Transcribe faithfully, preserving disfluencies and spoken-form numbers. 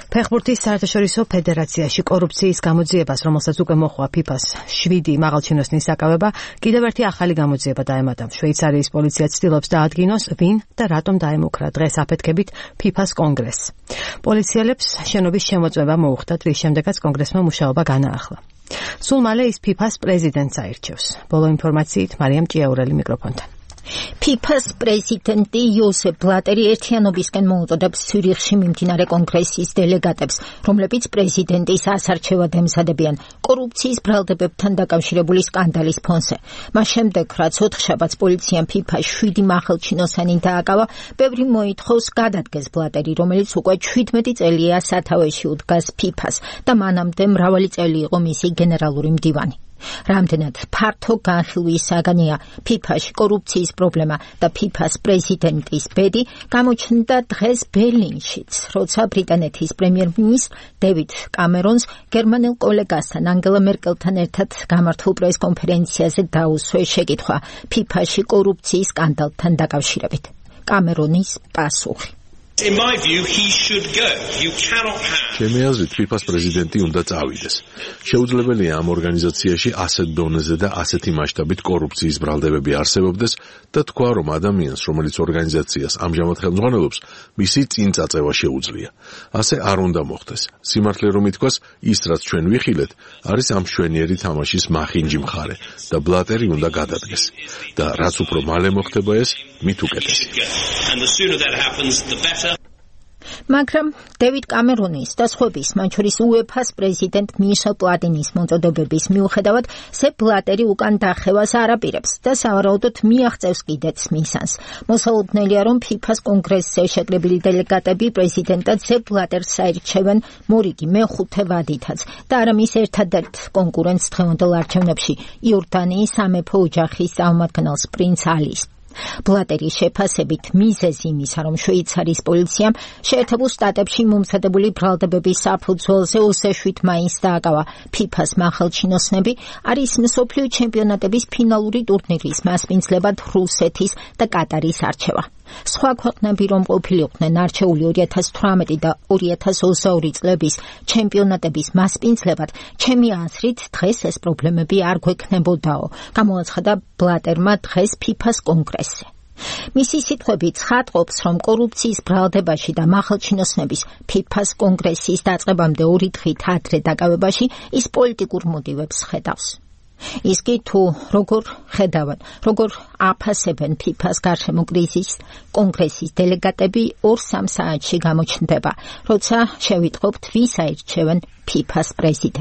ფეხბურთის საერთაშორისო ფედერაციაში კორუფციის გამოძიებას, რომელსაც უკვე მოხდა ფიფას შვიდი მაღალჩინოსნის საკავება, კიდევ ერთი ახალი გამოძიება დაემატა. შვეიცარიის პოლიცია ცდილობს დაადგინოს, ვინ და რატომ დაემუქრა დღეს აფეთქებით ფიფას კონგრესს. პოლიციელებს შენობის შემოწმება მოუხდათ, რის შემდეგაც კონგრესმა მუშაობა განაახლა. სულ მალე ის ფიფას პრეზიდენტს აირჩევს. ბოლო ინფორმაციით მარიამ ჭიაურელი მიკროფონთან. ფიფას პრეზიდენტი იოსებ ბლატერი ერთიანობისკენ მოუწოდებს ცვირიხში მიმდინარე კონგრესის დელეგატებს, რომლებიც პრეზიდენტის ასარჩევად ემზადებიან კორუფციის ბრალდებებთან დაკავშირებული სკანდალის ფონზე. მას შემდეგ, რაც ოთხშაბათს პოლიციამ ფიფას შვიდი მაღალჩინოსანი დააკავა, ბევრი მოითხოვს გადადგეს ბლატერი, რომელიც უკვე ჩვიდმეტი წელია სათავეში უდგას ფიფას და მანამდე მრავალი წელი იყო მისი გენერალური მდივანი. რამდენად ფართო განხილვის საგანია ფიფაში კორუფციის პრობლემა და ფიფას პრეზიდენტის ბედი გამოჩნდა დღეს ბერლინშიც, როცა ბრიტანეთის პრემიერ-მინისტრ დევიდ კამერონს გერმანელ კოლეგასთან ანგელა მერკელთან ერთად გამართულ პრეს-კონფერენციაზე დაუსვეს შეკითხვა ფიფაში კორუფციის სკანდალთან დაკავშირებით. კამერონის პასუხი. In my view, he should go. You cannot have. ჩემი აზრით, ფიფას პრეზიდენტი უნდა წავიდეს. შეუძლებელია ამ ორგანიზაციაში ასეთ დონეზე და ასეთი მასშტაბით კორუფციის ბრალდებები არსებობდეს და თქვა, რომ ადამიანს, რომელიც ორგანიზაციას ამჟამად ხელმძღვანელობს, მისი წინ წაწევა შეუძლია. ასე არ უნდა მოხდეს. სიმართლე რომ ითქვას, ის რაც ჩვენ ვიხილეთ, არის ამ მშვენიერი თამაშის მახინჯი მხარე და ბლატერი უნდა გადადგეს. და რაც უფრო მალე მოხდება ეს, მით უკეთესი. And the sooner that happens, the better. მაგრამ დევიდ კამერონის და სხვების, მათ შორის უეფას პრეზიდენტ მიშელ პლატინის მოწოდებების მიუხედავად, სეპ ბლატერი უკან დახევას არ აპირებს და სავარაუდოდ მიაღწევს კიდეც მისანს. მოსალოდნელია, რომ ფიფას კონგრესზე შეკრებილი დელეგატები პრეზიდენტად სეპ ბლატერს აირჩევენ მორიგი მეხუთე ვადითაც და არა მის ერთადერთ კონკურენტს დღევანდელ არჩევნებში, იორდანიის სამეფო ოჯახის წარმომადგენელს პრინც ალის. ბლატერის შეფასებით მიზეზი იმისა, რომ შვეიცარიის პოლიციამ შეერთებულ შტატებში მომზადებული ბრალდებების საფუძველზე ოცდაშვიდ მაისს დააკავა ფიფას მაღალჩინოსნები, არის მსოფლიო ჩემპიონატების ფინალური ტურნირის მასპინძლებად რუსეთის და კატარის არჩევა. სხვა ქვეყნები რომ ყოფილიყვნენ არჩეული ორი ათას თვრამეტი და ორი ათას ოცდაორი წლების ჩემპიონატების მასპინძლებად, ჩემი აზრით დღეს ეს პრობლემები არ გვექნებოდაო, გამოაცხადა ბლატერმა დღეს ფიფას კონგრესზე. მისი სიტყვები ცხადყოფს, რომ კორუფციის ბრალდებაში და მაღალჩინოსნების ფიფას კონგრესის დაწყებამდე ორი დღით ადრე დაკავებაში ის პოლიტიკურ მოტივებს ხედავს. ის კი თუ როგორ ხედავენ, როგორ აფასებენ ფიფას გარშემო კრიზისს, კონგრესის დელეგატები ორ-სამ საათში გამოჩნდება, როცა შევიტყობთ, ვის აირჩევენ ფიფას პრეზიდენტს.